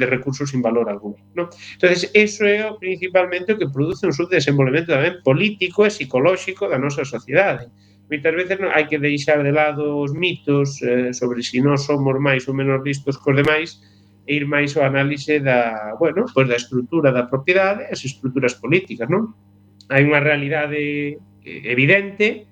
recursos sin valor alguno, ¿no? Entonces, eso é principalmente o que produce un subdesenvolvemento tamén político e psicolóxico da nosa sociedade. Moitas veces hai que deixar de lado os mitos sobre se nós somos máis ou menos listos cos demais e ir máis ao análise da estrutura da propiedade e as estruturas políticas, non? Hai unha realidade evidente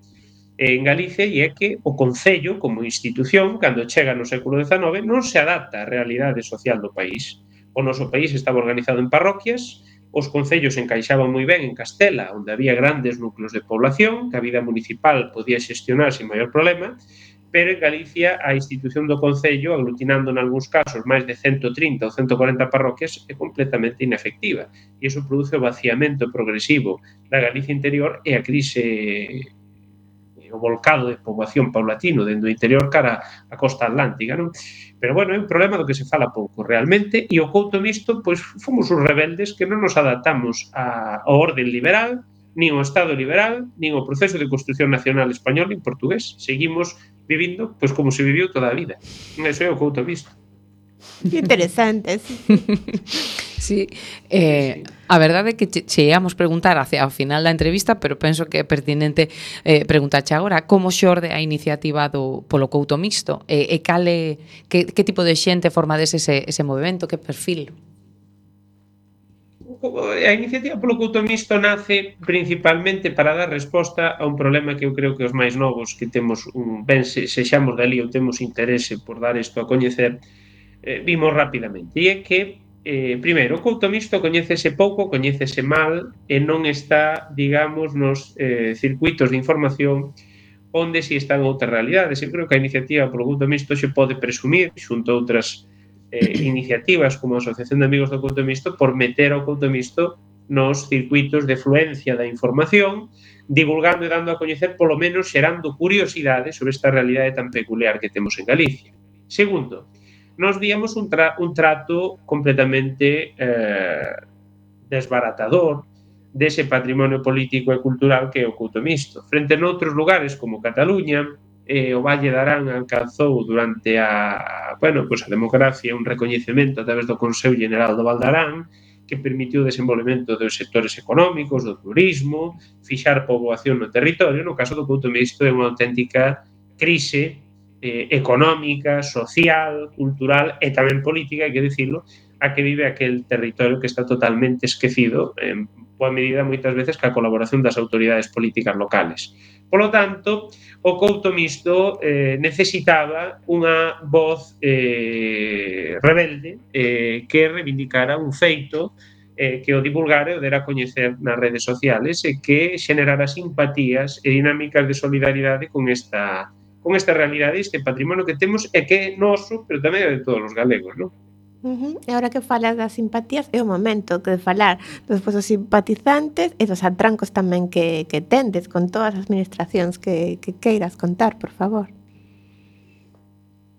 en Galicia e é que o Concello, como institución, cando chega no século XIX, non se adapta á realidade social do país. O noso país estaba organizado en parroquias, os concellos encaixaban moi ben en Castela, onde había grandes núcleos de población, que a vida municipal podía xestionar sin maior problema, pero en Galicia a institución do Concello, aglutinando en algúns casos máis de 130 ou 140 parroquias, é completamente inefectiva. E iso produce o vaciamento progresivo da Galicia interior e a crise, o volcado de poboación paulatino dentro do interior cara a costa atlántica, non? Pero, bueno, é un problema do que se fala pouco realmente, e o couto mixto, pois, fomos os rebeldes que non nos adaptamos ao orden liberal, nin ao Estado liberal, nin ao proceso de construción nacional español nin portugués. Seguimos vivindo pois como se viviu toda a vida. Eso é o couto mixto. Interesante, sí. Sí, a verdade é que che íamos preguntar hacia o final da entrevista, pero penso que é pertinente preguntarche agora como xorde a iniciativa polo couto mixto e que tipo de xente formades ese movimento, que perfil? A iniciativa polo couto mixto nace principalmente para dar resposta a un problema que eu creo que os máis novos que temos sexamos dali ou temos interese por dar isto a coñecer, vimos rapidamente, e é que Primeiro, o couto mixto coñécese pouco, coñécese mal e non está, digamos, nos circuitos de información onde si están outras realidades. Eu creo que a iniciativa polo couto mixto xe pode presumir, xunto a outras iniciativas como a Asociación de Amigos do Couto Mixto, por meter ao couto mixto nos circuitos de fluencia da información, divulgando e dando a coñecer, polo menos xerando curiosidade sobre esta realidade tan peculiar que temos en Galicia. Segundo, nos víamos un trato completamente desbaratador dese patrimonio político e cultural que é o couto mixto. Frente a noutros lugares como Cataluña, o Valle de Arán alcanzou durante a democracia un recoñecemento a través do Consello General do Val de Arán que permitiu o desenvolvemento dos sectores económicos, do turismo, fixar poboación no territorio. No caso do couto mixto é unha auténtica crise económica, social, cultural e tamén política, hai que dicilo, a que vive aquel territorio que está totalmente esquecido en boa medida moitas veces ca colaboración das autoridades políticas locales. Polo tanto, o couto mixto necesitaba unha voz rebelde que reivindicara un feito que o divulgara e o dera a coñecer nas redes sociales e que xenerara simpatías e dinámicas de solidaridade con esta realidade, este patrimonio que temos e que é noso, pero tamén é de todos os galegos, non? E agora que falas das simpatías, é o momento de falar dos vosos simpatizantes e dos atrancos tamén que tendes con todas as administracións que queiras contar, por favor.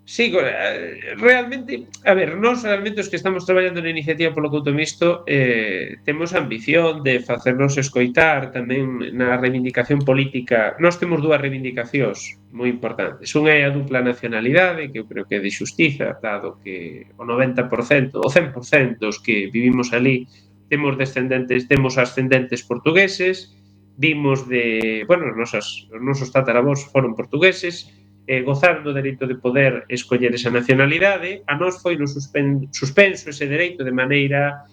Sí, realmente, a ver, nós realmente os que estamos traballando na iniciativa polo couto mixto temos a ambición de facernos escoitar tamén na reivindicación política. Nós temos dúas reivindicacións moi importantes. Unha é a dupla nacionalidade, que eu creo que é de xustiza, dado que o 90%, o 100% dos que vivimos ali temos ascendentes portugueses, vimos os nosos tataravós foron portugueses, gozar do dereito de poder escoller esa nacionalidade. A nós foi no suspenso ese dereito de maneira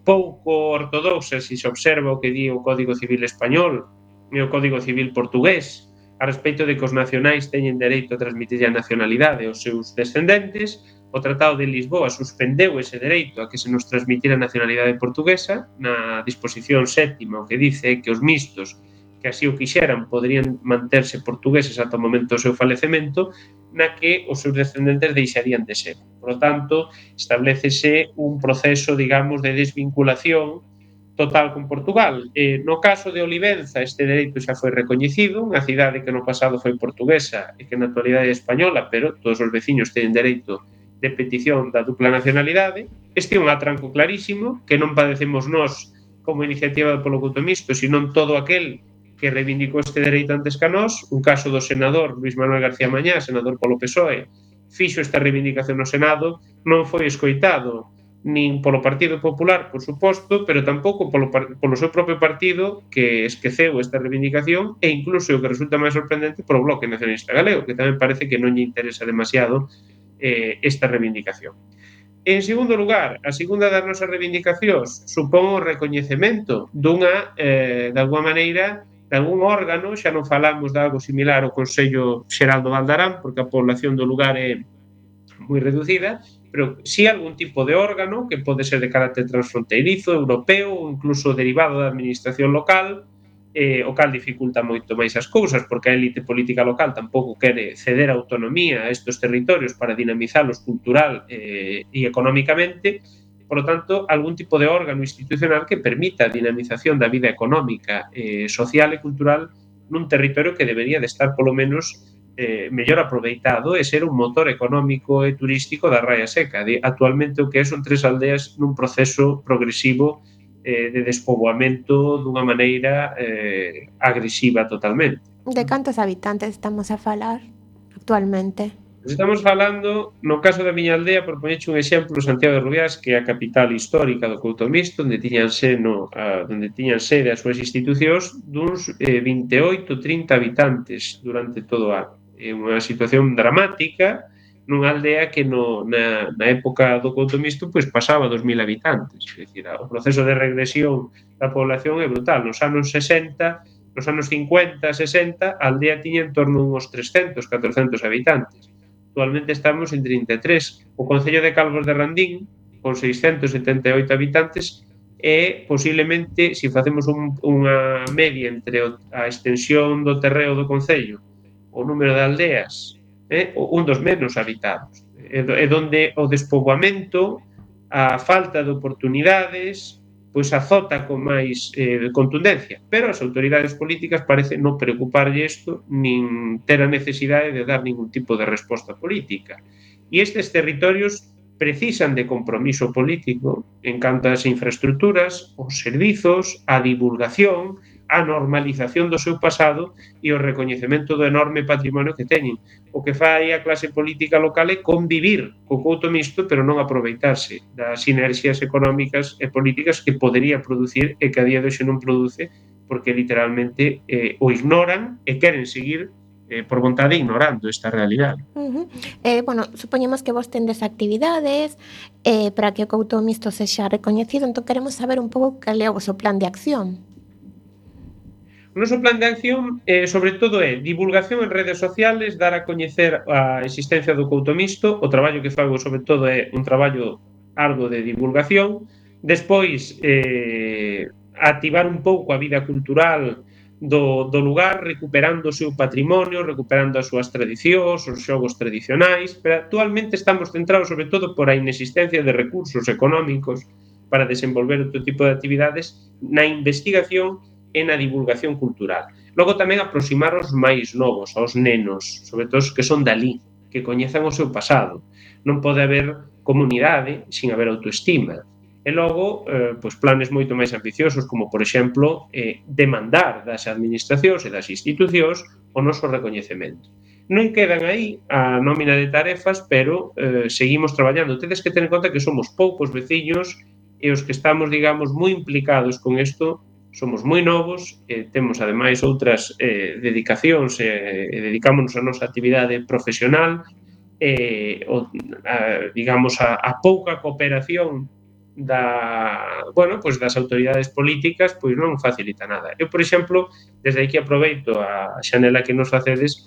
pouco ortodoxa, se se observa o que di o Código Civil español e o Código Civil portugués a respecto de que os nacionais teñen dereito a transmitir a nacionalidade aos seus descendentes. O Tratado de Lisboa suspendeu ese dereito a que se nos transmitira a nacionalidade portuguesa na disposición séptima, o que dice que os mixtos que así o quixeran poderían manterse portugueses ata o momento do seu falecemento, na que os seus descendentes deixarían de ser. Por lo tanto, establecese un proceso, digamos, de desvinculación total con Portugal. No caso de Olivenza, este dereito xa foi recoñecido, unha cidade que no pasado foi portuguesa e que na actualidade é española, pero todos os veciños teñen dereito de petición da dupla nacionalidade. Este é un atranco clarísimo que non padecemos nós como iniciativa polo couto mixto, sino todo aquel que reivindicou este dereito antes que a nós. Un caso do senador Luis Manuel García Mañá, senador polo PSOE, fixo esta reivindicación no Senado, non foi escoitado nin polo Partido Popular, por suposto, pero tampouco polo seu propio partido, que esqueceu esta reivindicación, e incluso o que resulta máis sorprendente polo Bloque Nacionalista Galego, que tamén parece que non lle interesa demasiado esta reivindicación. En segundo lugar, a segunda das nosas reivindicacións supón o recoñecemento dunha, de alguma maneira, de algún órgano. Xa non falamos de algo similar ao Consello Xeral do Val de Arán, porque a población do lugar é moi reducida, pero si algún tipo de órgano que pode ser de carácter transfronteirizo, europeo ou incluso derivado da administración local, o cal dificulta moito máis as cousas, porque a élite política local tampouco quere ceder autonomía a estes territorios para dinamizalos cultural e económicamente. Por lo tanto, algún tipo de órgano institucional que permita a dinamización da vida económica, social e cultural nun territorio que debería de estar polo menos mellor aproveitado e ser un motor económico e turístico da Raia Seca. Actualmente o que son 3 aldeas nun proceso progresivo de despoboamento dunha maneira agresiva totalmente. De cantos habitantes estamos a falar actualmente? Estamos falando, no caso da miña aldea, por poñerche un exemplo, Santiago de Rubiás, que é a capital histórica do couto mixto, onde tiñan sede as súas institucións, duns 28-30 habitantes durante todo o ano. É unha situación dramática nunha aldea que na época do couto mixto pois pasaba 2.000 habitantes. É dicir, o proceso de regresión da población é brutal. Nos anos 60, nos anos 50, 60, a aldea tiña en torno a uns 300, 400 habitantes. actualmente estamos en 33. O Concello de Calvos de Randín, con 678 habitantes, é posiblemente, se facemos unha media entre a extensión do terreo do Concello, o número de aldeas, un dos menos habitados. É donde o despoboamento, a falta de oportunidades, pois azota con máis contundencia. Pero as autoridades políticas parece non preocuparlle isto, nin ter a necesidade de dar ningún tipo de resposta política. E estes territorios precisan de compromiso político en canto ás infraestructuras, os servizos, a divulgación, a normalización do seu pasado e o recoñecemento do enorme patrimonio que teñen. O que fai a clase política local é convivir co couto mixto, pero non aproveitarse das sinerxias económicas e políticas que podería producir e que a día de hoxe non produce, porque literalmente o ignoran e queren seguir por vontade ignorando esta realidade. Bueno, supoñemos que vos tendes actividades para que o couto mixto sexa recoñecido, entón queremos saber un pouco cal é o vosso plan de acción. O noso plan de acción, sobre todo, é divulgación en redes sociales, dar a coñecer a existencia do couto mixto. O traballo que fago, sobre todo, é un traballo arduo de divulgación. Despois, activar un pouco a vida cultural do lugar, recuperando o seu patrimonio, recuperando as súas tradicións, os xogos tradicionais, pero actualmente estamos centrados sobre todo por a inexistencia de recursos económicos para desenvolver outro tipo de actividades na investigación e na divulgación cultural. Logo tamén aproximar os máis novos, aos nenos, sobre todo os que son dali, que coñezan o seu pasado. Non pode haber comunidade sin haber autoestima. E logo, pois planes moito máis ambiciosos, como, por exemplo, demandar das administracións e das institucións o noso recoñecemento. Non quedan aí a nómina de tarefas, pero seguimos traballando. Tedes que ter en conta que somos poucos veciños e os que estamos, digamos, moi implicados con isto, somos moi novos, temos ademais outras dedicacións e dedicámonos a nosa actividade profesional, digamos, a pouca cooperación das autoridades políticas pois non facilita nada. Eu, por exemplo, desde aquí aproveito a xanela que nos facedes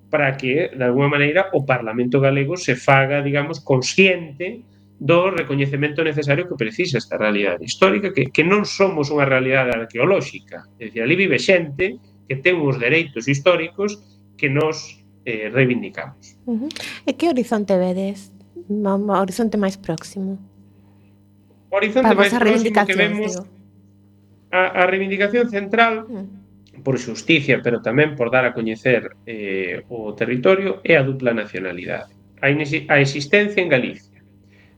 para que, de alguma maneira, o Parlamento galego se faga, digamos, consciente do recoñecemento necesario que precisa esta realidade histórica, que non somos unha realidade arqueolóxica. É dicir, ali vive xente que ten uns dereitos históricos que nos reivindicamos. E que horizonte vedes? O horizonte máis próximo? O horizonte máis próximo que vemos, a reivindicación central, por xusticia, pero tamén por dar a coñecer o territorio, é a dupla nacionalidade. A existencia en Galicia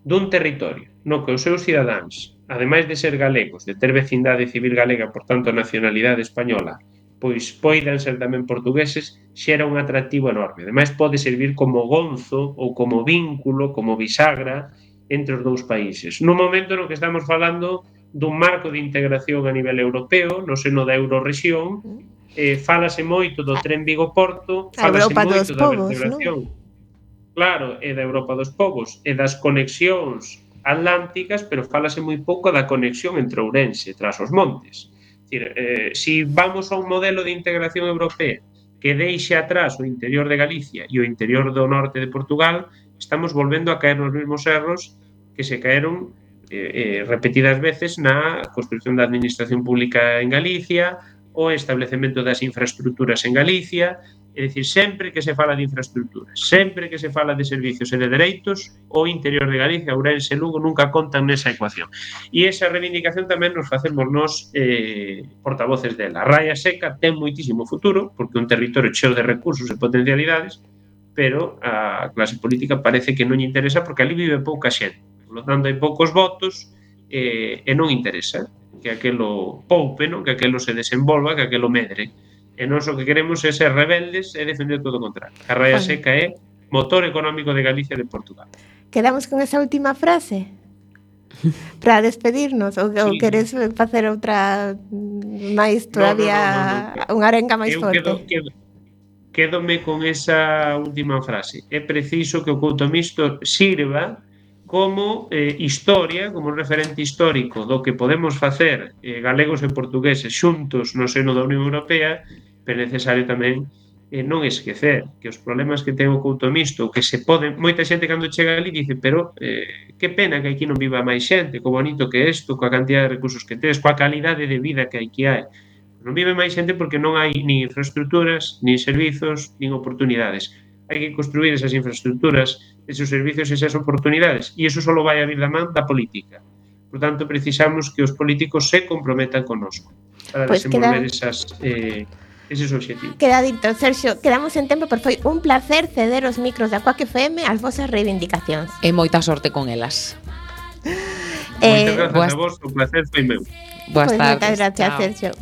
dun territorio no que os seus cidadáns, ademais de ser galegos, de ter vecindade civil galega, por tanto nacionalidade española, pois poidan ser tamén portugueses, xera un atractivo enorme. Ademais pode servir como gonzo ou como vínculo, como bisagra entre os dous países. No momento no que estamos falando dun marco de integración a nivel europeo, no seno da Eurorrexión, fálase moito do tren Vigo-Porto, fálase moito da vertebración, claro, e da Europa dos povos e das conexións atlánticas, pero fálase moi pouco da conexión entre Ourense tras os montes. Se vamos a un modelo de integración europea que deixe atrás o interior de Galicia e o interior do norte de Portugal, estamos volvendo a caer nos mesmos erros que se caeron repetidas veces na construción da administración pública en Galicia, o establecemento das infraestructuras en Galicia. É dicir, sempre que se fala de infraestructuras, sempre que se fala de servicios e de dereitos, o interior de Galicia, Ourense e Lugo nunca contan nesa ecuación. E esa reivindicación tamén nos facemos nós portavoces dela. A Raia Seca ten moitísimo futuro, porque é un territorio cheo de recursos e potencialidades, pero a clase política parece que non lle interesa porque ali vive pouca xente. Por lo tanto, hai poucos votos e non interesa que aquelo poupe, non? Que aquelo se desenvolva, que aquelo medre. E nós o que queremos é ser rebeldes e defender todo o contrario. A Raia Seca é motor económico de Galicia e de Portugal. Quedamos con esa última frase para despedirnos, ou queres facer outra máis todavía, unha arenga máis forte? Quédome con esa última frase. É preciso que o couto mixto sirva como historia, como referente histórico do que podemos facer galegos e portugueses xuntos no seno da Unión Europea, pero é necesario tamén non esquecer que os problemas que ten o Couto Mixto, que se poden, moita xente cando chega ali dice, pero que pena que aquí non viva máis xente, co bonito que é isto, coa cantidad de recursos que tes, coa calidade de vida que aquí hai. Non vive máis xente porque non hai nin infraestructuras, nin servizos, nin oportunidades. Hai que construir esas infraestructuras, esos servizos, esas oportunidades, e iso só vai a vir da man da política. Por tanto, precisamos que os políticos se comprometan connosco para Pois desenvolver queda- eses obxectivos. Queda dito, Sergio, quedamos en tempo, pero foi un placer ceder os micros da Quack FM ás vosas reivindicacións. E moita sorte con elas. Moitas grazas boas- a vos, o placer foi meu. Boas Pois tardes. moitas gracias, Chao. Sergio.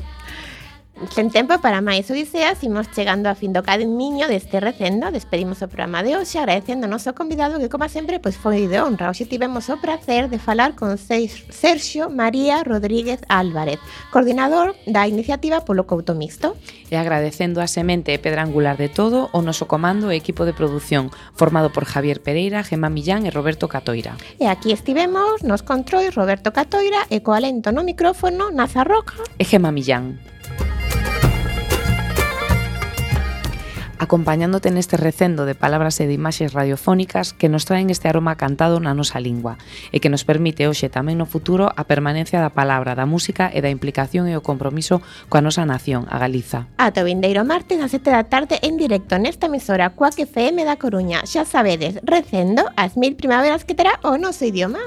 Sen tempo para máis odiseas, imos chegando a fin do camiño deste recendo. Despedimos o programa de hoxe agradecendo ao noso convidado que, como sempre, pois foi de honra. Hoxe tivemos o placer de falar con Sergio María Rodríguez Álvarez, coordinador da iniciativa polo Couto Mixto. E agradecendo a semente e pedra angular de todo o noso comando e equipo de produción formado por Javier Pereira, Gemma Millán e Roberto Catoira. E aquí estivemos nos controis Roberto Catoira e co alento no micrófono Naza Roca. E Gemma Millán. Acompañándote neste recendo de palabras e de imaxes radiofónicas que nos traen este aroma cantado na nosa lingua e que nos permite hoxe tamén no futuro a permanencia da palabra, da música e da implicación e o compromiso coa nosa nación, a Galiza. Ata o vindeiro martes ás 7 da tarde en directo nesta emisora Quack FM da Coruña. Xa sabedes, recendo as 1000 primaveras que terá o noso idioma.